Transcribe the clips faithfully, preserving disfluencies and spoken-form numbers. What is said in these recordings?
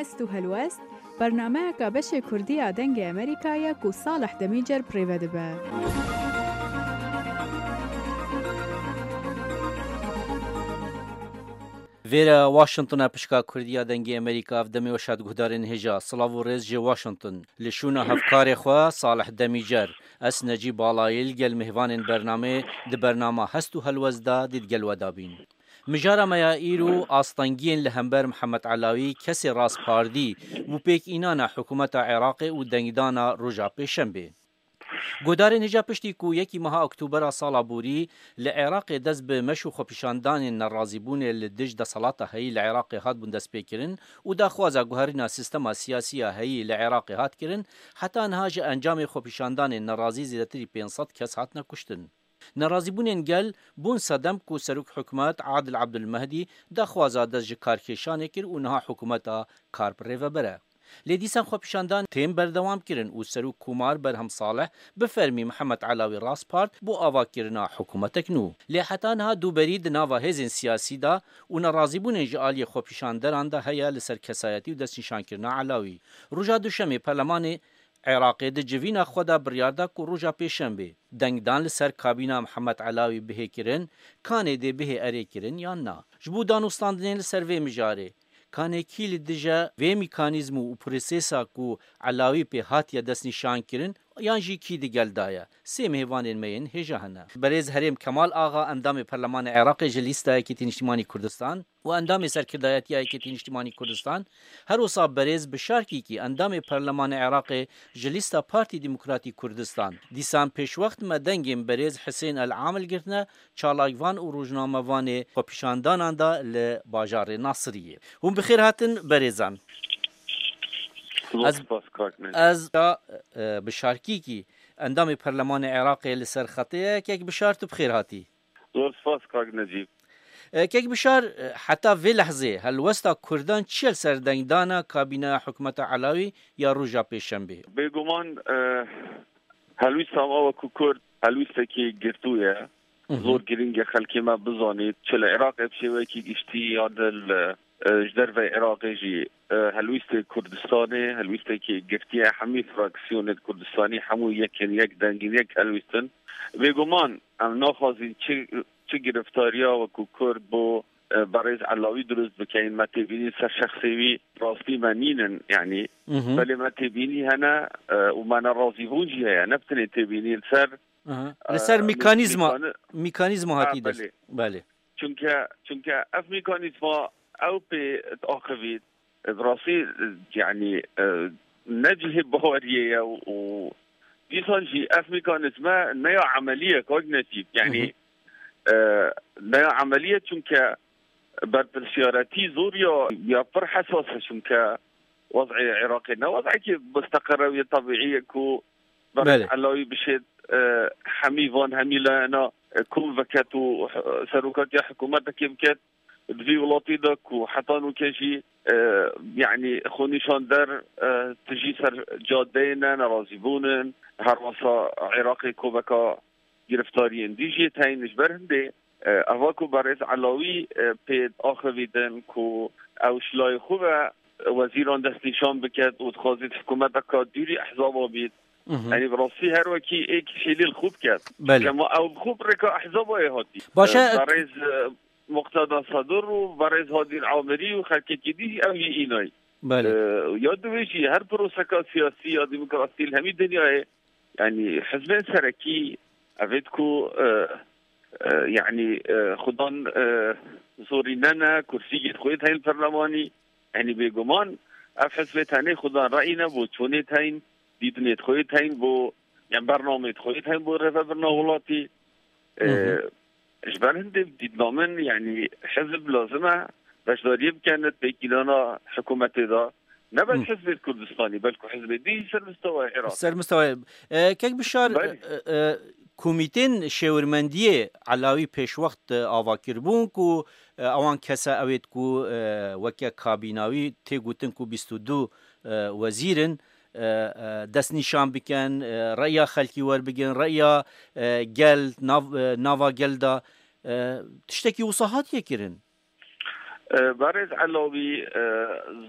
Hest û helwest, bernameyeka beşê Kurdî ya Dengê Amerîka ye ku Salih Demîcer bi rê ve dibe. Vêre Washington e, pişka Kurdî ya Dengê Amerîka, ev demê weş hat guhdarên hêja. Silav û rêz ji Washington. Li şûna hevkarê xwe Salih Demîcer, ez Necîb Balayî li gel mêvanên bernameyê di bernama Hest û Helwest de dî di gel we de bîn. Mijara me ya îro astengiyên li hember Mihemed Elawî, kesê raspardî û pêkînana hikûmeta Iraqê û dengdana roja Pêşembê. Guhdarên hêja, piştî ku yekî meha Oktobera sala borî li Iraqê dest bi meş û xwepîşandanên nerazîbûnê li dij desthilata heyî li Iraqê hatbûn destpêkirin û daxwaza guherîna sîstema siyasî ya heyî li Iraqê hat kirin, heta niha ji encamê xwepîşandanên nerazî zêdetirî pênc sed kes hatine kuştin. Nerazîbûnên gel bûn sedem ku Serok Hikûmet Adil Abdulmehdî daxwaza dest ji karkêşanê kir û niha hikûmeta kar bi rê ve bere. Lê dîsan xwepîşandan tên berdewam kirin û Serok Komar Berhem Salih bi fermî Mihemed Elawî raspart bo avakirina hikûmetek nû. Lê heta niha dûberî di nava hêzên siyasî de û nerazîbûnên ji aliyê xwepîşanderan de heye li ser kesayetî û destnîşankirina Elawî. Roja Duşemê Perlemanê Iraqê di civîna xwe de biryar da ku roja Pêşembê dengdan li ser kabîna Mihemed Elawî bihê kirin, kanê dê bihê erê kirin yan na. Ji bo danûstandinê li ser vê mijarê, kanê kî li dije vê mîkanîzm û prosesa ku Elawî pê hatiye destnîşankirin, yan jî kî di gel de ye? Sê mêvanên me yên hêja hene. Berêz Herêm Kemal Axa, endamê Perlemanê Iraqê ji lîsta Yekîtî Niştimanî Kurdistan, û endamê serkirdayetiya Yekîtî Niştimanî Kurdistan, her wisa berêz Bişar Kîkî, endamê Perlemanê Iraqê ji lîsta Partî Demokratî Kurdistan. Dîsan pêşwext me dengên berêz Hisên El Amil girtine, çalakvan û rojnamevanê xwepîşandanan da li bajarê Nasiriyê. Hûn bi xêr hatin berêzan. Zor Ez, spas, kak Necîb. Ez, e, Bişar Kîkî, endamê Perlemanê Iraqê li ser xetê ye. Kek Bişar, tu bi xêr hatî. Zor spas, kak Necîb. E, Kek Bişar, e, heta vê lehzê helwesta Kurdan çi ye li ser dengdana kabîneya hikûmeta Elawî ya roja Pêşembê? Bêguman, e, helwîsta me wekî Kurd helwîstekî girtû ye. Mhm. Zor girîng e xelkê me bizanît, çi li Iraqê bi şêwekî giştî ya di li, e, ji derveyî Iraqê jî, e, helwîstê Kurdistanê, helwîstekî girtî ye, hemî fraksiyonên Kurdistanî hemû yek in, yek deng in, yek helwîst in. Bêguman em naxwazîn çi, çi giriftariya wekî Kurd bo, e, berêz Elawî dirust bikeyin, me têbînî ser şexsê wî rastî me nînin, yanî Mhm. belê me têbînî hene, e, û me nerazîbûn jî heye, ne bi tenê têbînî li ser, Aha. e, Li ser mîkanîzma, mîkani-, mîkanîzma ha, hatî dest. Belê. Belê. Çunke, çunke ev mîkanîzma ew pê diaxivît, bi rastî, yanî, e, ne cihê baweriyê ye û, û dîsan jî ev mekanîzme ne ya emelî ye, kak Necîb. Yanî, Hı hı. e, ne ya emelî ye, çunke berpirsiyarîtî zor ya, ya pir hesas e, çunke wez'ê Iraqê ne wez'ekî musteqir e û yê tebîî ye ku Belê. Berêz Elawî bişêt, e, hemî van, hemî layena, e, kom veket û, e, serokatiya hikûmetekê biket. Di vî welatî de ku heta nûke jî, e, yanî xwenîşander, e, tijî ser cadeyê ne, nerazîbûn in, her wesa Iraqê koveka giriftariyên dî jî tên ji ber hindê, e, eva ku berêz Elawî, e, pê diaxivîtin ku ew ji layê xwe ve wezîran destnîşan biket û dixwazît hikûmeteka dûrî ehzaba bît. Mhm. Yanî bi rastî her wekî êk hêlî li xwe biket. Belê. Kema ew bi xwe bi rêka ehzaba yê hatî. Baş e. E, berêz, e, Muqteda Sedur û berêz Hadî Amirî û xelkekî dî ew yê înayî. Belê. E, ya di wê jî her proseka siyasî ya demokrasî li hemî dinyayê, yanî hizbên serekî, evêt ku, e, e, yanî, e, xudan, e, zorîne ne, kursî yê xwe tên li perlemanî, Yanî bêguman ev hizbê tenê xudan reyî ne bo çûnê teyn, dîtinê xwe tên bo, yan bernamê xwe tên bo rêvebirina welatî. Hı hı. E, ji ber hindê dîtina min, yanî hizb lazim e beşdariyê bike di pêkînana hikûmetê de. Ne bes Hı. hizbê Kurdistanî, belku hizbê dî ser mistewaya Iraq. Ser mistewaya, e, Kek Bişar, Belê. e, e, Komîtên şêwirmendiyê Elawî pêşwext, e, ava kiribûn ku, e, ewan kese ewêt ku, e, weke kabîna wî tê gotin ku bîst û du, e, wezîr in, e, e, destnîşan bikin, e, reya xelkî werbigin, reya, e, gel, nav, e, nava gel de, e, tiştekî wisa hatiye kirin. E, Berêz Elawî, e,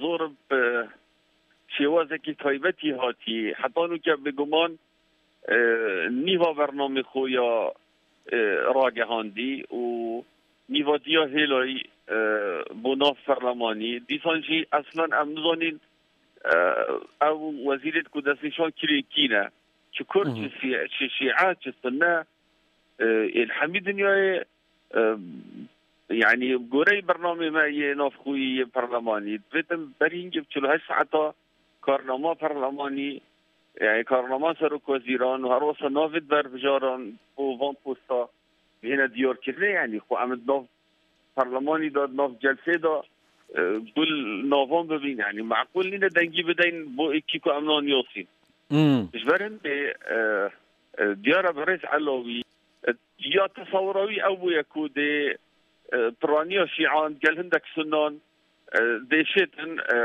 zor bi şêwazekî taybetî hatî. Heta nûke bêguman, e, nîva bernamê xwe ya, e, ragehandî û nîva diya hêlayî, e, bo nav perlemanî. Dîsan jî eslen em nizanîn, e, ew wezîrêt ku destnîşan kirî kî ne. Çi kurd, Hı hı. çi sî-, çi şîe, çi sunne, e, ên hemî dinyayê, e, yanî goreyê bernamê me yê navxweyî yê perlemanî, divêtin berî hingê çil û heşt saeta karnama perlemanî, yanî karnama serokwezîran û her wesa navê berbijaran bo van posta bihêne diyarkirinê, yanî xwe em di nav perlemanî de, di nav celsê de, e, gul navan bibîn, yanî meqûl nîne dengî bideyn bo êkî ku em nanyasîn. Hmm. Ji ber hindê, e, e, diyar e Berêz Elawî, e, ya tesewira wî ew bûye ku dê, e, piraniya şîan gel hindek sunan, e, dê şêtin, e,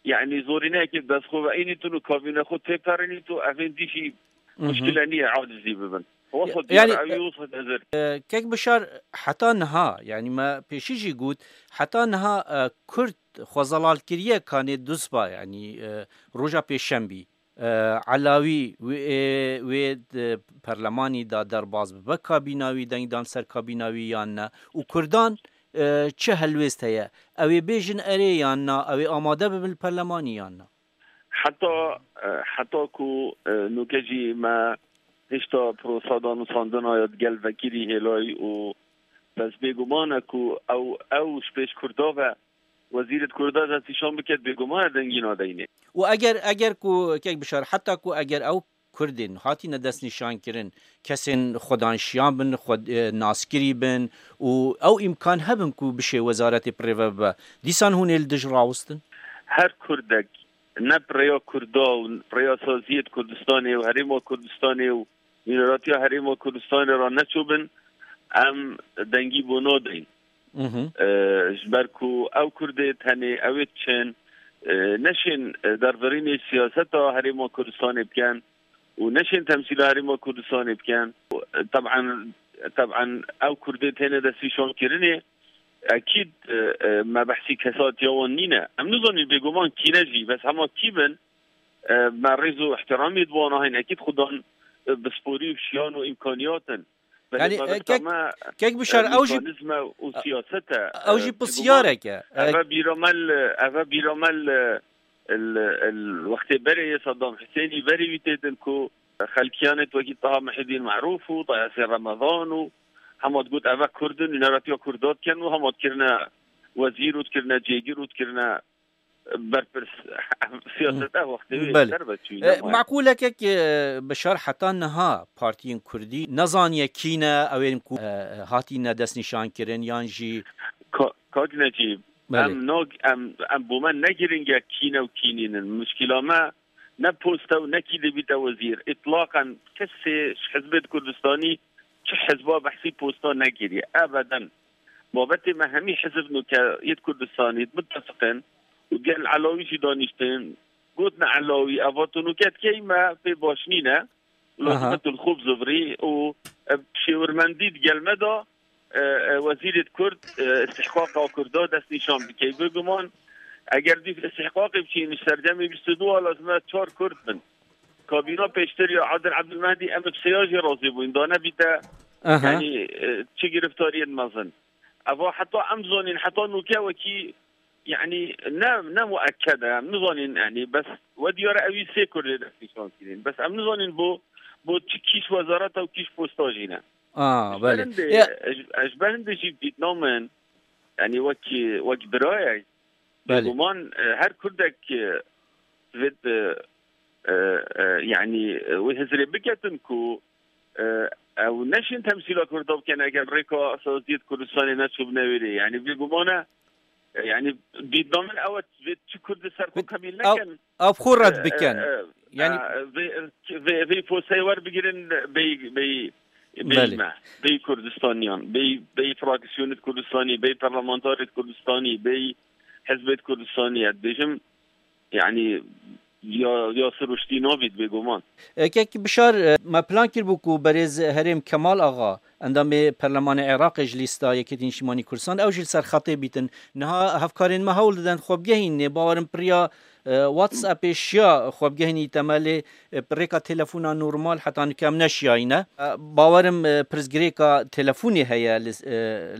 yanî zorîneyekê bi dest xwe ve înîtin û kabîne xwe têperînît û evên dî jî Mhm. muşkile niye acizî bibin. Wasa Ya-, diyar yanî, ew yê wasa hizir. E, kek Bişar, heta niha, yanî me pêşî jî got, heta niha, e, Kurd xwe zelal kiriye kanê dusba, yanî, e, roja pêşembî, e, Elawî wê, e, wê di perlemanî de derbas bibe kabîna wî, deng dan ser kabîna wî yan ne? Û Kurdan, e, çi helwêst heye? Ew ê bêjin erê yan na? Ew ê amade bibin li perlemanî yan na? Heta, e, heta ku, e, nûke jî me hêşta prosa danûstandina ya digel vekirî hêlayî û bes bêguman e ku ew, ew ji pêş Kurda ve wezîrê di Kurda destnîşan biket, bêguman e dengî nadeynê. Û eger, eger ku kek Bişar, heta ku eger ew Kurdên hatine destnîşankirin, kesên xwedanşiyan bin, xwe, e, naskirî bin û ew îmkan hebin ku bişê wezaretê bi rê ve bibe, dîsan hûn ê li dij rawistin? Her Kurdek ne bi rêya Kurda û rêya saziyê di Kurdistanê û Herêma Kurdistanê û nûneratiya Herêma Kurdistanê re neçûbin, em dengî bo nadeyn. Mhm. E, ji ber ku ew Kurdê tenê ew ê diçin, e, neşên, e, dervirînê siyaseta Herêma Kurdistanê bikin û neşên temsîla Herêma Kurdistanê bikin. E, teb'en, teb'en ew Kurdê têne destnîşankirinê, ekîd, e, e, me behsî kesatiya wan nîne. Em nizanîn bêguman kî ne jî, bes hema kî bin, e, me rêz û ihtiramê di wan a heyne. Ekîd xudan, e, bi sporî û şiyan û îmkaniyat in. Belê Yanî, me e, bes kek, me, kek Bişar, e, ew jî, mekanîzme û e, siyaset e. Ew jî E, pisyarek e. E, eve bîra me li, eve bîra me li, li, li wextê berê yê Saddam Husênî berê wî têtin ku xelkiyanê wekî Taha Muhyiddin Merûf û Taha Husên Remezan û hema digot eve Kurd in, nûneratiya Kurda dikin û hema dikirine wezîr û dikirine cêgir û dikirine berpirs. Siyaset ev wextê wê Belê. Ser ve çûyî, E, nema. Meqûlekek, e, Bişar, heta niha partiyên Kurdî nezaniye kî ne, ew ên ku, e, hatîne destnîşankirin yan jî Ka-, Kak Necîb, Belê. em nag-, em, em bo me ne girîng e kî ne û kî nînin. Muşkila me ne post e û ne kî dê bîte wezîr. Îtlaqen kesê ji Hizbê Kurdistanî çi hizba behsî posta nekiriye. Ebeden. Babetê me hemî hizb nûke yê Kurdistanî mitefiq in û gel Elawî jî danîştin. Gotin Elawî, eva tu nûke dikey me pê baş nîne. Aha. Lazim e tu li xwe bizivirî û, e, şêwirmendî di gel me de, e, e, wezîrê Kurd, e, istihqaqa Kurda destnîşan bikey. Bêguman eger dîv istihqaqê biçîn ji serdemê bîst û du a lazim e çar Kurd bin. Kabîna pêştir ya Adil Ebdulmehdi em bi sêya jî razî bûyn. Da nebîte, Aha. yanî, e, çi giriftariyên mezin. Eva heta em zanîn, heta nûke wekî, yanî, ne, ne muekked e, em nizanîn, yanî, bes we diyar e ewî sê Kurdê destnîşan kirîn. Bes em nizanîn bo, bo çi kîş wezareta û kîş posta jî ne. A, Ji ber belê. hindê, Ya. ez, ez ji ber hindê jî dîtna min, yanî, wekî, wek birayek, Belê. Bêguman, e, her Kurdek, e, divêt, e, e, e, yanî, e, wê hizrê biketin ku, e, ew neşên temsîla Kurda bikin, eger rêka saziyê di Kurdistanê neçûbine wê rê. Yanî, bêguman e, e, yanî, dîtna min ew e, divêt çi Kurdê ser xwe Bi-, qebîl ew, nekin. ew xwe red E, bikin. e, e, Yanî e, vê, vê, vê poseyê werbigirin, bey, bey, bey Belê. me, bey Kurdistaniyan, bey, bey fraksiyonê Kurdistanî, bey parlamentarê Kurdistanî, bey hizbê Kurdistanî, ez dibêjim, yanî, Ya, ya siruştî nabît bêguman. E, Kek Bişar, e, me plan kiribû ku berêz Herêm Kemal Axa, endamê Perlemanê Iraqê ji lîsta Yekîtî Niştimanî Kurdistan, ew jî li ser xetê bîtin. Niha hevkarên me hewl didin xwe bigehînê. Bawerim piriya, e, WhatsAppê şiya xwe bigehînî temelê, e, rêka telefona normal heta nika em neşiyayîne. E, bawerim, e, pirsgirêka telefonê heye li, e,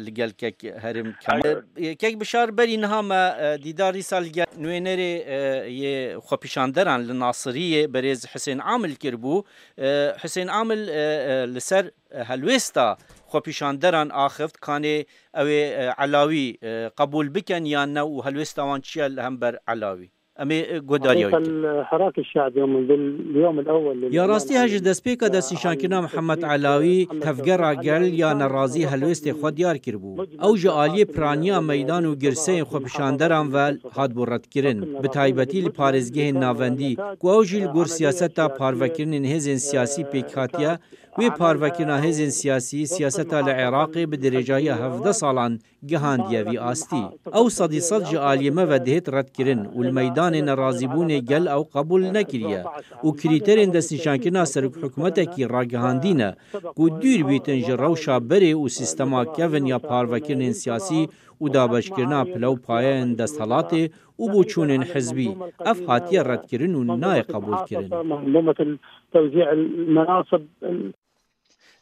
li gel Kek Herêm Kemal. Kek Bişar, berî niha me, e, dîdar dîsa li gel nûênerê, e, yê xwepîşanderan li Nasiriyê berêz Hisên Amil kiribû. E, Hisên Amil, e, e, li ser, e, helwêsta xwepîşanderan axift, kanê ew ê, e, Elawî, e, qebûl bikin yan ne û helwêsta wan çi ye li hember Elawî? Em ê, e, guhdarîya wî bikin. الحراك الشعبي من اليوم الأول. Ya rastî he ji destpêka destnîşankirina Mihemed Elawî, tevgera gel ya nerazî helwêstê xwe diyar kiribû. Ew ji aliyê piraniya meydan û girseyên xwepîşanderan ve hatbû redkirin. Bi taybetî li parêzgehên navendî, ku ew jî li gor siyaseta parvekirinên hêzên siyasî pêk hatiye, wê parvekirina hêzên siyasî, siyaseta li Iraqê bi dirêjahiya hevdeh salan gihandiye vî astî. Ew sedî sed ji aliyê me ve dihêt redkirin û li meydanê nerazîbûnê gel ew qebûl nekiriye û krîterên destnîşankirina serokhikûmetekî ragihandî ne ku dûr bîtin ji rewşa berê û sîstema kevin ya parvekirinên siyasî û dabeşkirina pile û payeyên desthilatê û boçûnên hizbî. Ev hatiye redkirin û nayê qebûlkirin. منظومة توزيع المناصب.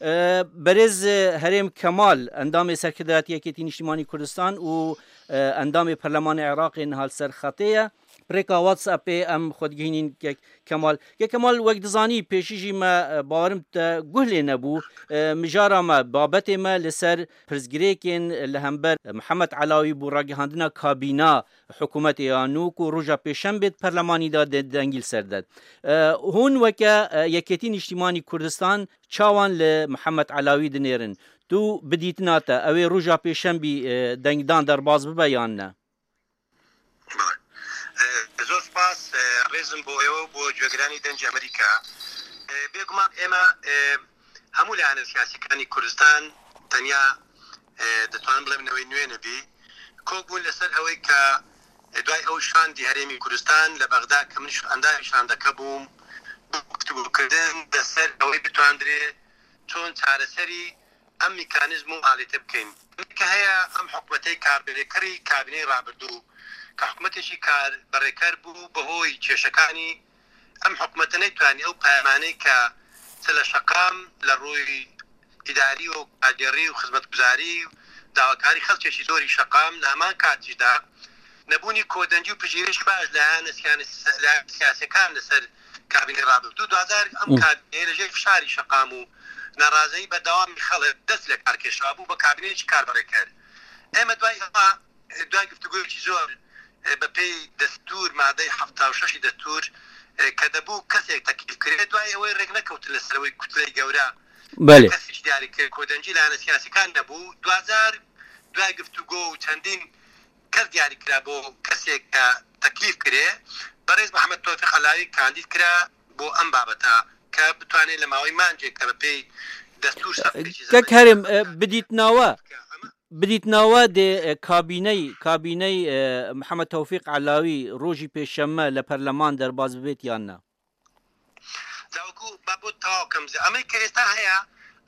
E, Berêz, e, Herêm Kemal, endamê Serkirdeyatî Yekêtî Niştimanî Kurdistan û, e, endamê Perlemanê Iraqê niha li ser xetê ye. Pirêka WhatsAppê em xwe digihînîn Kek Kemal. Kek Kemal, wek dizanî, pêşî jî me, e, bawerim te guh lê nebû. E, mijara me, babetê me li ser pirsgirêkên li hember Mihemed Elawî bû ragihandina kabîna hikûmetê ya nû ku roja pêşembê di perlemanî de de-, dengî li ser de. E, hûn weke, e, Yekêtî Niştimanî Kurdistan çawan li Mihemed Elawî dinêrin? Tu bi dîtina te, ew ê roja pêşembî, e, dengdan derbas bibe yan ne? Belê. E, zor spas, e, rêzim bo êwe û bo cîgeranî Dengê Amerîka. E, bêguman ême, e, hemû layanên siyasî kanî Kurdistan tenya, e, ditonim bilim newê nûê nebî. Kok bûn li ser ewê ke, e, duay ew şandî herêmî Kurdistan li Bexda ke min jî endamê şandeke bûm, guftûgokirin li ser ewê bitoandire çon çareserî em mekanîzm û alete bikeyn. Ke heye em hikûmetê karbirêkerî kabîneyê rabirdû, ke hikûmetê jî karbirêker bû bi hoy kêşekanî, em hikûmete neytwanî ew peyamanê ke çi li şeqam li rûy îdarî û kadêrî û xizmetguzarî û dawakarî xelkê jî zorî şeqam li heman kat jî de nebûnî kodengî û pijîrêşî baş li hene siyanî-, li siyasekan li ser kabînê rabirdû. Duwazdeh em Hı. kabîneyê li jêr fişarî şeqam û nerazeyî berdewamî xelk dest li kar kêşabû, bi kabîneyê jî kar bere kir. Ême duay eva, e, duay guftûgoyekî zor, e, bi pey destûr, madey hefta û şeşî destûr, e, ke debû kesek teklîf kirê, duay ewê rêk nekewtin li ser wê kutleyê gewre. Belê. Kesî jî diyarî kir, kodengî li hene siyasekan nebû. Duwazdeh duay guftûgo û çendîn kes diyarî kira bo kesê ke teklîf kirê. Berêz Mehmet Tewfîq Elawî kandîd kira bo em babeta ke bitwanê li mawey mancê ke bi pey destûr ser pêşî Kek Herêm, e, bidîtnawe, bidîtnawe dê, e, kabîney, kabîney, e, Mehmet Tewfîq Elawî rojî pêşeme li perleman derbas bibêt yan ne? Dawku babot tawa kim ze. Amê ke êsta heye,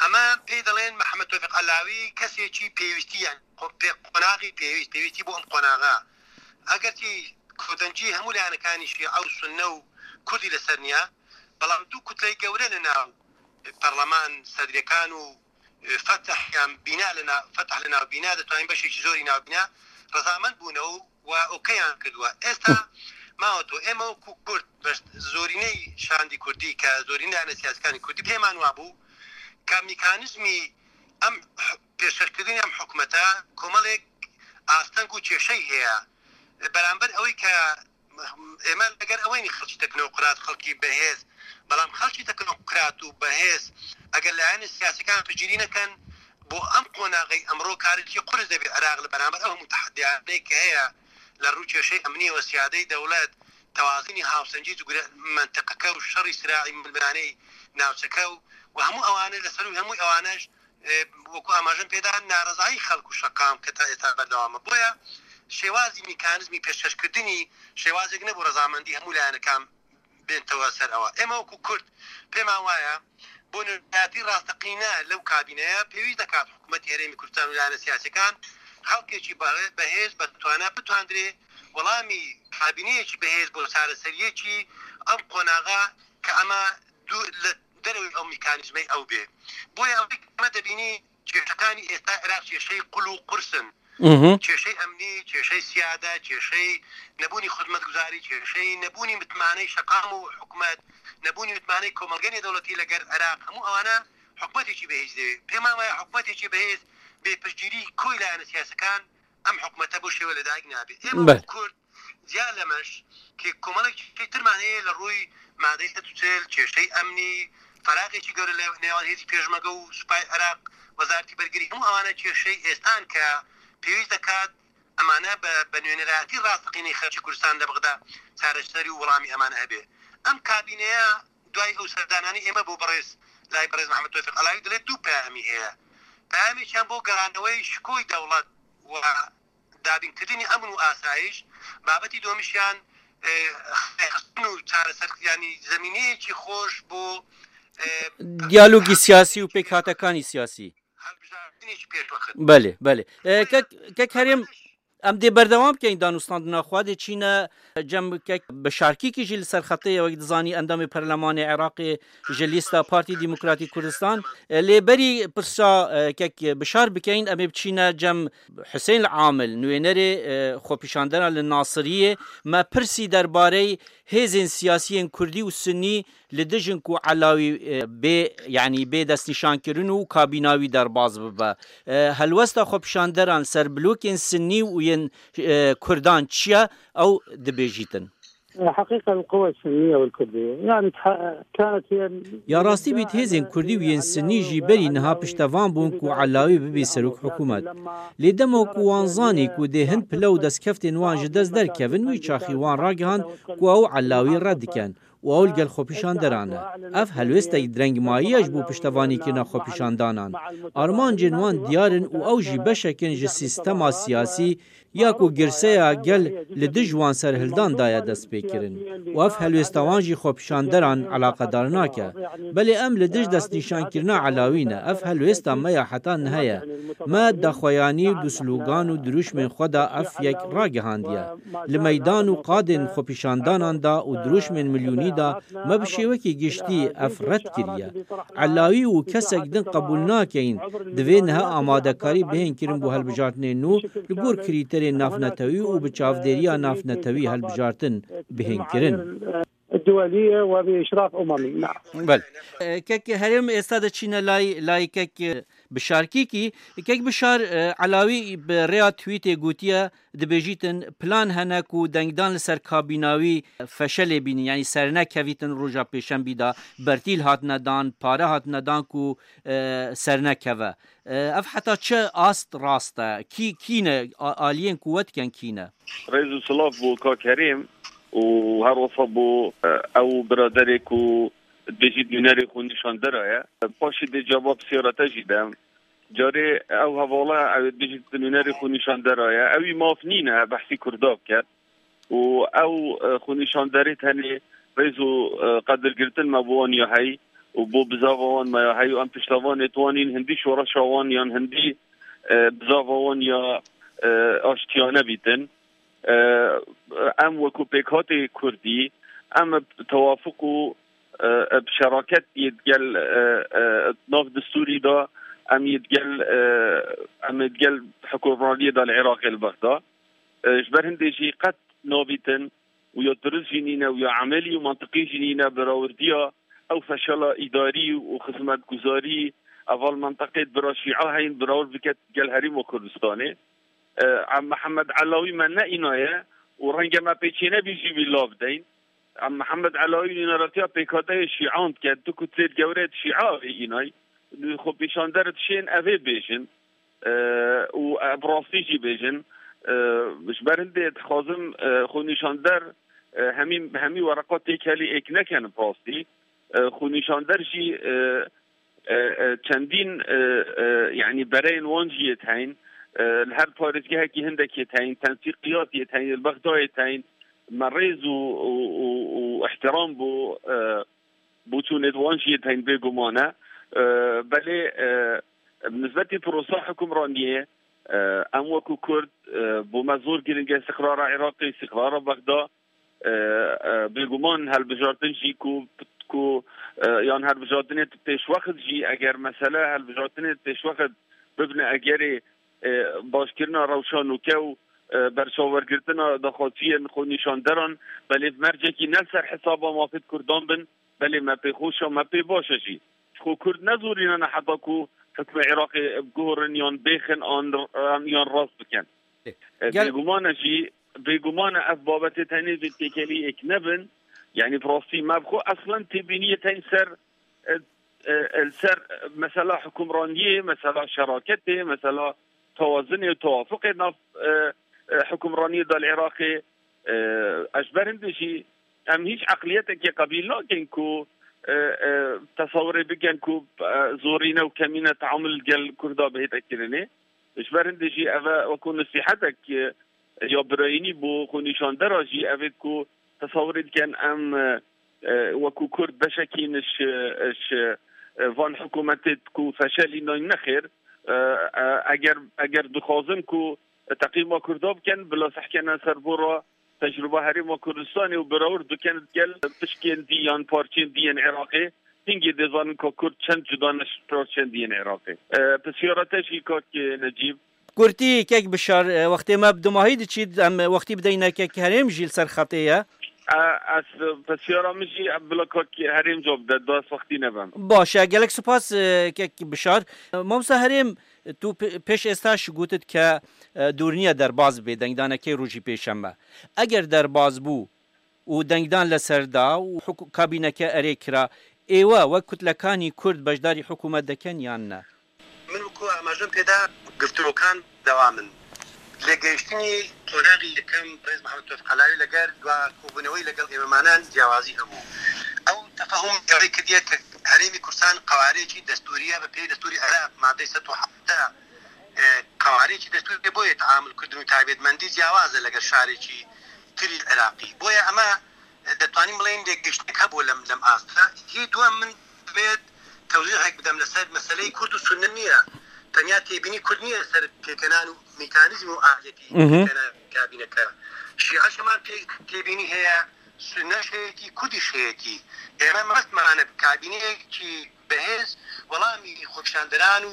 ema pê dilên Mehmet Tewfîq Elawî kesêkî pêwîstî, yani, xo-, pê-, qonaxî pêwîst, pêwîstî bo em qonaxa. Eger ki kodengî hemû layanekanî şîe û sunne û kurdî li ser niya, belam du kutleyê gewre li nav, e, perleman, sedrêkan û, e, fetih yan bîna li nav, fetih li nav bîna, ditonin beşekî zorî nav bîna, rezamend bûne û we okeyan kiriwe. Êsta ma oto, ême wekû Kurd, beş-, zorîney şandî Kurdî ke, zorîney ane siyasekanî Kurdî, pêman wa bû ke mekanîzmî em pêşkêşkirinî em hikûmeta komelek asteng û kêşey heye. Beramber ewê ke ême leger eweynî xelkî teknokrat, xelkî bihêz, belam xelkî teknokrat û bihêz eger layanê siyasekan picîrî nekin, bo em qonaxê emro karê kî qurî de bê Iraq li beramber ew hemû tehdiyanê ke heye li rû kêşey emnî û siyadey dewlet, tewazînî hawsengî ji gure mentiqeke û şerî siraî milmilanê navçeke û, û hemû ewane li ser û hemû ewane ji, e, wekû amajin pê dan, narezayî xelk û şeqam ke ta êsta berdewam e. Boya şêwazî mekanîzmî pêşkêşkirinî şêwazek nebû rezamendî hemû layanekan دێنتەوە سەر ئەوە. ئێمە وەکو کورد پێمان وایە بۆ نوێنەرایەتی ڕاستەقینە لەو کابینەیە پێویست دەکات حکوومەتی هەرێمی کوردستان و لایەنە سیاسیەکان خەڵکێکی بە-، بەهێز بەتوانە بتواندرێ وەڵامی کابینەیەکی بەهێز بۆ چارەسەریەکی ئەم قۆناغە کە ئەمە دوو لە دەرەوەی ئەو میکانیزمەی ئەو بێ. بۆیە ئەوەی کە ئەمە دەبینی کێشەکانی ئێستا عێراق کێشەی قول و قورسن. کێشەی ئەمنی، کێشەی سیادە، کێشەی نەبوونی خزمەتگوزاری، کێشەی نەبوونی متمانەی شەقام و حکومەت، نەبوونی متمانەی کۆمەڵگەی نێودەوڵەتی لەگەر عێراق، هەموو ئەوانە حکومەتێکی بەهێز دەوێت. پێمان وایە حکومەتێکی بەهێز بێ پشتگیری کۆی لایەنە سیاسەکان ئەم حکومەتە بۆ شێوە لەدایک نابێت. ئێمە بەڵێ. وەکو کورد زیاد لەمەش کە کۆمەڵێکی ترمان هەیە لە ڕووی مادەی سەد و چل، کێشەی ئەمنی، فەراقێکی گەورە لە نێوان هێزی پێشمەگە و سوپای عێراق، وەزارەتی بەرگری، هەموو ئەوانە کێشەی ئێستان کە پێویست دەکات ئەمانە بە، بە نوێنەرایەتی ڕاستەقینەی خەڵکی کوردستان لە بەغدا چارەسەری و وەڵامی ئەمانە هەبێ. ئەم کابینەیە دوای ئەو سەردانانی ئێمە بۆ بەڕێز، لای بەڕێز محەممەد تۆفیق عەلاوی دەڵێت دوو پەیامی هەیە. پەیامێکیان بۆ گەڕانەوەی شکۆی دەوڵەت و دابینکردنی ئەمن و ئاسایش، بابەتی دومیشیان، ئێ، خستن و چارەسەر، یعنی زمینەیەکی خۆش بۆ، ئێ، دیالۆگی سیاسی و پێکهاتەکانی سیاسی. هەڵبژاردنێکی پێشوەخت. بەلێ، بەلێ. ئێ، کەک، کەک هەرێم، ئەم دێ بەردەوام بکەین دانوستاندنا خوا دێ چینە جەم کەک بەشارکیکی ژی لەسەر خەتەیە وەک دزانی ئەندامی پەرلەمانی عێراقی ژە لیستا پارتی دیموکراتی کوردستان. لێ بەری پرسا، ئێ، کەک بشار بکەین، ئەمێ بچینە جەم حسین العامل، نوێنەرێ، ئێ، خۆپیشاندەران لە ناسریە، مە پرسی دەربارەی هێزێن سیاسیێن کوردی و سنی لە دژن کو عەلاوی، ئێ، بێ، یعنی بێ دەستنیشانکردن و کابیناوی دەرباز ببە. ئێ، هەلوەستا خۆپیشاندەران سەر بلوکێن سنی و یەن، ئێ، کوردان چیە؟ ئەو دبێژیتن. حقيقة القوى السنية والكردية يعني تح-، كانت هي یا ڕاستی بیت هێزێن کوردی و یەن سنی ژی بەری نها پشتەوان بوون کو عەلاوی ببی سەرۆک حکوومەت. لێ دەمەوە کو وان زانی کو دێ هەند پلە و دەستکەفتێن وان ژە دەست دەرکەون وی چاخی وان ڕاگەهاند کو ئەو عەلاوی ڕەت دکەن و ئەو لەگەل خۆپیشاندەرانە. ئەف هەلوێستەک درەنگ ماییەش بوو پشتەوانیکردنا خۆپیشاندانان. ئارمانجێن وان دیارن و ئەو ژی بەشەکن ژە سیستەما سیاسی یا کو گرسەیە گەل لە دژ وان سەرهلدان دایە دەست پێکردن. و ئەف هەلوێستا وان ژی خۆپیشاندەران عەلاقەدار ناکە. بەلێ ئەم لە دژ دەستنیشانکردنا عەلاوینە، ئەف هەلوێستا مەیە حتا نهەیە. مە دەخوەیانی و دوسلوگان و دروشمێن خوەدا ئەف یەک ڕاگەهاندیە. لە مەیدان و قادێن خۆپیشانداناندا و دروشمێن ملیونیدا مە بە شێوەکی گشتی ئەف ڕەت کریە. عەلاوی و کەسێک دن قبول ناکەین، دەبێ نها ئامادەکاری بهێن کردن بۆ هەلبژاردنێن نوو لە گۆر کریتەرێن نافنەتەوی و بە چاودێریە نافنەتەوی هەلبژاردن بهێن کردن. الدولية وبإشراف أممي، نعم. بەڵێ. ئێ، کەک هەرێم ئێستا دەچینە لای، لای کەک بشارکیکی. کەک بشار، ئێ، عەلاوی بە ڕێیا تویتێ گوتیە، دەبێژیتن پلان هەنە کو دەنگدان لەسەر کابیناوی فەشەلێ بینی، یعنی سەرنەکەویتن ڕۆژا پێشەمبیدا، بەرتیل هاتنە دان، پارە هاتنە دان کو، ئێ، سەرنەکەوە. ئێ، ئەف حتا چه ئاست ڕاستە؟ کی، کینە، ئا-، ئالیێن قووەت کەن کینە؟ Rêz û silav bo Kak Herêm û her wisa bo, e, ew biraderê ku dibêjî nûnerê xwe nîşandera ye. Paşê dê cevab siyarete jî dem. Carê ew hevala ew dibêjî nûnerê xwe nîşandera ye. Ewî maf nîne behsî Kurda bike. Û ew, e, xwe nîşanderê tenê rêz û, e, qedirgirtin me bo wan ya hey û bo bizava wan me ya hey û em piştevanê wan in, hindî şoreşa wan yan hindî, e, bizava wan ya, e, aştiyane bîtin. E, em wekû pêkhatê Kurdî, em bi tewafuq û, e, bi şeraket yê digel, e, e, nav distûrî de, em yê digel, e, em ê digel hukimraniyê de li Iraqê li Bexda. E, ji ber hindê jî qet nabîtin û ya dirust jî nîne û ya emelî û mantiqî jî nîne, berawirdiya ew feşela îdarî û xizmetguzarî eva li menteqê bira şîa heyn, berawir bike gel herêma Kurdistanê. E, Em Mihemed Elawî me ne îna ye û renge me pê çênebî jî wî lav deyn. Em Mihemed Elawî nûneratiya pêkhateyê şîan dike, tu ku têt gewre di şîa avê înay, xwe pêşander dişên evê bêjin. E, û ev rastî jî bêjin. E, ji ber hindê dixwazim, e, xwe nîşander, e, hemî, hemî wereqa têkelî êk nekin bi rastî. E, xwe nîşander jî, e, e, e, çendîn, e, e, yanî bereyên wan jî yê teyn. E, li her parêzgehekî hindek yê teyn, tensîqiyat yê teyn, li Bexdayê teyn. Me rêz û, û, û, û ihtiram bo, e, bo çûnê di wan jî yên teyn bêguman e. E, belê, e, bi nisbetî prosa hukimraniyê, e, em wekû Kurd, e, bo me zor giring e îstiqrara Iraqê, îstiqrara Bexda. E, e, bêguman helbijartin jî ku, ku, e, yan helbijartinê pêşwext jî, eger mesele helbijartinê pêşwext bibine egerê, e, başkirina rewşa nûke û, e, berçawergirtina daxwaziyên xwenîşanderan, belê bi mercekî ne li ser hesaba mafê Kurdan bin, belê me pê xweş e, me pê baş e jî. Ji xwe Kurd nezorînane heta ku hukmê Iraqê biguhorin yan bêxin an, an yan rast bikin. E, Gel- bêguman e jî, bêguman e ev babetê tenê vê têkelî êk nebin. Yanî bi rastî me bi xwe eslen têbîniyê teyn ser, e, e, e, li ser, e, mesela hukimraniyê, mesela şeraketê, mesela tewazinê û tewafuqê nav, e, e, hukimraniyê de li Iraqê, e, ez ji ber hindê jî em hîç eqliyetekê qebîl nakin ku, e, e, tesewirê bikin ku, e, zorîne û kemîne teamul gel Kurda bihête kirinê. Ji ber hindê jî ev e wekû nesîhetek, e, ya birayînî bo xwenîşandera jî ev ê ku tesewirê dikin em, e, e, wekû Kurd beşekî ne ji, e, ji, e, van hikûmetê ku feşelî nayne xêr. E, e, eger, eger dixwazin ku teqîma Kurda bikin, bila sehkene ser bo re tecrûba Herêma Kurdistanê û birawir dikin gel pişkên dî yan parçên dî yên Iraqê. Hingê dê zanin ka Kurd çend cuda ne ji parçên dî yên Iraqê. E, pisyara te jî kak Necîb. Kurtî, kek Bişar, e, wextê me bi dumahî diçît, em wextî bideyne kek Herêm jî li ser xetê ye. E, ez pisyara min jî bila kak Herêm cewab bide, da ez wextî nebem. Baş e, gelek spas, e, kek Bişar. E, Mamosta Herêm, tu pe-, pêş êsta jî gotit ke, e, dûr niye derbas bê dengdanekê rojî pêşeme. Eger derbas bû û dengdan li ser da û huk-, kabîneke erê kira, êwe wek kutlekanî Kurd beşdarî hikûmet dikin yan ne? Min wekû amajem pê da, گفتوگۆکان دەوام بن. لێکگەیشتنی قۆناغی یەکەم بەڕێز محەممەد تۆفیق عەلاوی لەگەر دوا کۆبوونەوەی لەگەڵ ئێمەمانان جیاوازی هەبوو. ئەو تەفەهوم جێڕی کردیە کە هەرێمی کوردستان قەوارەیەکی دەستووریە بە پێی دەستووری عێراق، مادەی سەد و حەڤدە، ئێ، قەوارەیەکی دەستووری، بۆیە تەعامل کردن و تایبەتمەندی جیاوازە لەگەر شارێکی تری عێراقی. بۆیە ئەمە دەتوانین بڵێن لێکگەیشتنێک هەبوو لەم، لەم ئاستە. هی دووەم من دەمەوێت تەوزیحێک بدەم لەسەر مەسەلەی کورد و سوننە نییە. تەنیا تێبینی کورد نییە لەسەر پێکهێنان و میکانیزم و ئالیەتی مهم. پێکهێنان کابینەکە. شیعەش هەمان پێ-، تێبینی هەیە، سوننەش هەیەتی، کوردیش هەیەتی. ئێمە مەبەستمانە کابینەیەکی بەهێز وەڵامی خۆپیشاندەران و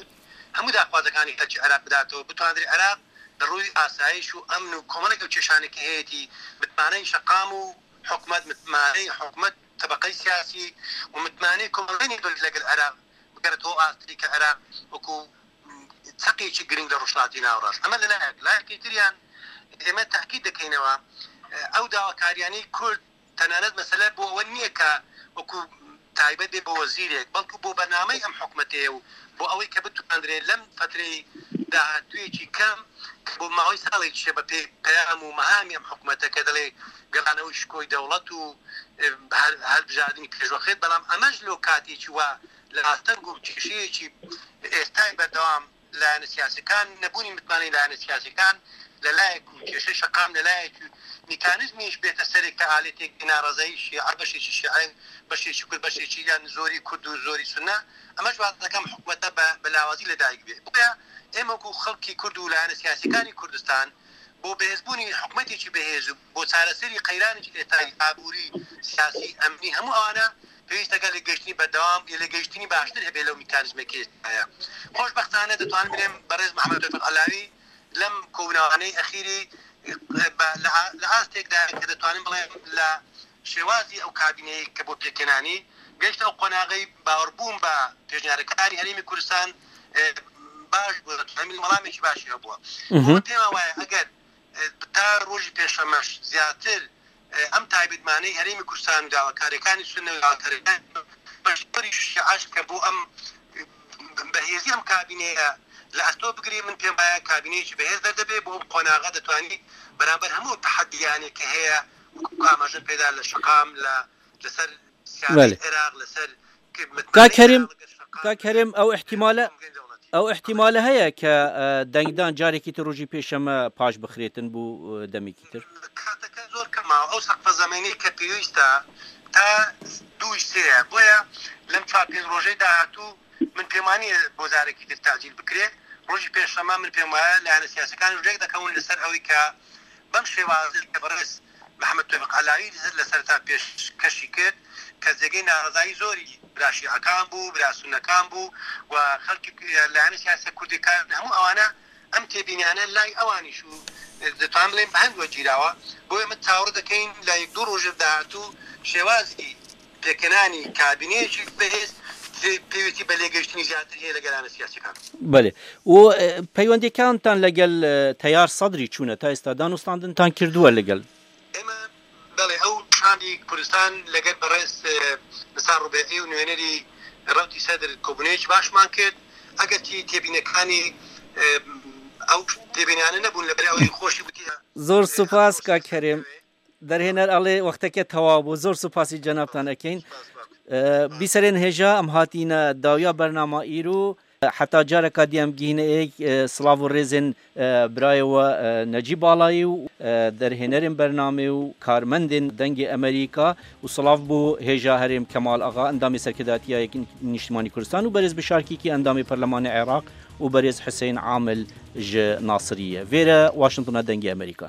هەموو داخوازەکانی خەڵکی عێراق بداتەوە، بتواندرێ عێراق لە ڕووی ئاسایش و ئەمن و کۆمەڵێک ئەو کێشانێکی هەیەتی، متمانەی شەقام و حکومەت، متمانەی حکومەت، تەبەقەی سیاسی و متمانەی کۆمەڵگەی نێودەوڵەتی لەگەڵ عێراق بگەرێتەوە ئاستێکی کە عێراق وەکو چەقێکی گرنگ لە ڕۆژهەڵاتی ناوەڕاست. ئەمە لە لایەک، لایەکی تریان ئێمە تاکید دەکەینەوە، ئەو داواکاریانەی کورد تەنانەت مەسەلە بۆ ئەوە نییە کە وەکو تایبەت بێ بە وەزیرێک، بەڵکو بۆ بەرنامەی ئەم حکومەتەیە و بۆ ئەوەی کە بتواندرێت لەم فەترەی داهاتوویەکی کەم کە بۆ ماوەی ساڵێک شێ بە پێی پەیام و مەهامی ئەم حکومەتە کە دەڵێ گەڕانەوەی شکۆی دەوڵەت و، ئێ، هەر، هەڵبژاردنی پێشوەخت، بەڵام ئەمەش لۆ کاتێکی وا لە ئاستەنگ و کێشەیەکی ئێستای بەردەوام لایەنە سیاسیەکان، نەبوونی متمانەی لایەنە سیاسیەکان لە لایەک و کێشەی شەقام لە لایەک و میکانیزمیش بێتە سەرێک کە ئالێتێک ناڕەزایی شیعە، بەشێکی شیعە، بەشێکی کورد، بەشێکی یان زۆری کورد و زۆری سونە، ئەمەش واز دەکەم حکومەتە بە، بە لاوازی لە دایک بێ. بۆیە ئێمە وەکو خەڵکی کورد و لایەنە سیاسیەکانی کوردستان بۆ بەهێزبوونی حکومەتێکی بەهێز و بۆ چارەسەری قەیرانێکی ئێستای ئابووری، سیاسی، ئەمنی، هەموو ئەوانە پێویستەکە لێکگەیشتنی بەردەوام، لێکگەیشتنی باشتر هەبێ لەو میکانیزمێکی ئێستایە. خۆشبەختانە دەتوانم بڵێم بەڕێز محەممەد تۆفیق عەلاوی لەم کۆبوونەوانەی ئەخیری بە، لە ئا-، لە ئاستێکدا کە دەتوانم بڵێم لە شێوازی ئەو کابینەیە کە بۆ پێکهێنانی گەیشتە ئەو قۆناغەی باوەڕبووم بە پێشنیارەکانی هەرێمی کوردستان، ئێ، باش بووە، دەتوانم بڵێم وەڵامێکی باشی هەبووە. مهم. بۆ پێم وایە ئەگەر، ئێ، تا ڕۆژی پێشەمەش زیاتر، ئێ، ئەم تایبەتمانەی هەرێمی کوردستان و داواکاریەکانی سونە و داواکاریەکانی بەشداری شیعەش کە بۆ ئەم بەهێزی ئەم کابینەیە لە ئەستۆ بگرێ، من پێم وایە کابینەیەکی بەهێز دەردەبێ بۆ ئەم قۆناغە دەتوانی بەرامبەر هەموو تەحەدیانێک کە هەیە، وەکو ئاماژە پێدا لە شەقام، لە، لەسەر سیاسی بەڵێ. عێراق، لەسەر کاک هەرێم، لەگەر شەقام، کاک هەرێم، ئەو ئیحتیمالە، کۆمەڵگەی دەوڵەتی. ئەو ئیحتیمالە هەیە کە، ئە، دەنگدان جارێکی تر ڕۆژی پێشەمە پاش بخرێتن بۆ، ئە، دەمێکی تر؟ کاتەکە زۆر کەمە، ئەو سەقفە زەمینەی کە پێویستە تا دوو سێیە. بۆیە لەم چوار پێنج ڕۆژەی داهاتوو من پێم وانییە بۆ جارێکی تر تاجیل بکرێ. ڕۆژی پێنجشەممە من پێم وایە لایەنە سیاسەکان ژێک دەکەون لەسەر ئەوەی کە بەم شێوازە کە بەڕێز محەممەد تۆفیق عەلاوی لە سەرتا پێشکەشی کرد، کە جێگەی ناڕەزایی زۆری برا شیعەکان بوو، برا سونەکان بوو و خەڵکی لایەنە سیاسە کوردەکان، هەموو ئەوانە ئەم تێبینیانە لای ئەوانیش و دەتوانم بڵێم بە هەند وەرگیراوە. بۆیە من چاوەڕێ دەکەین لە یەک دوو ڕۆژی داهاتوو شێوازی پێکهێنانی کابینەیەکی بەهێز پێویستی بە لێگەیشتنی زیاتر هەیە لەگەلانە سیاسەکان. بەێ و پەیوەندەکانتان لەگەل تەیار سەدری چوونە تا ئێستا دانوستاندنتان کردووە لەگەل؟ ئێمە بەڵێ ئەو شاندی کوردستان لەگەل بەڕێز نسار ڕوبێعی و نوێنەری ڕەوتی سەدر کۆبوونەیەکی باشمان کرد. ئەگەرچی تێبینەکانی ئەو تێبینانە نەبوون لە بەرەوەی خۆشی بوتیە. زۆر سوپاس کاک هەرێم. دەرهێنەر ئەڵێ وەختەکە تەواو بوو. زۆر سوپاسی جەنابتان ئەکەین. بیسەرێن هێژا ئەم هاتینە داویا بەرنامە ئیرو. حتا جارەکە دیەم گیهینە ئێک سڵاو و ڕێزێن برایەوە نەجی باڵایی و دەرهێنەرێن بەرنامێ و کارمەندێن دەنگی ئەمریکا و سڵاو بۆ هێژا هەرێم کەمال ئاغا ئەندامی سەرکرداتیە یەک نیشتمانی کوردستان و بەرێز بشارکیکی ئەندامی پەرلەمانی عێراق و بەرێز حسین عامل ژ ناسریە. ڤێرە واشنگتنە دەنگی ئەمریکا.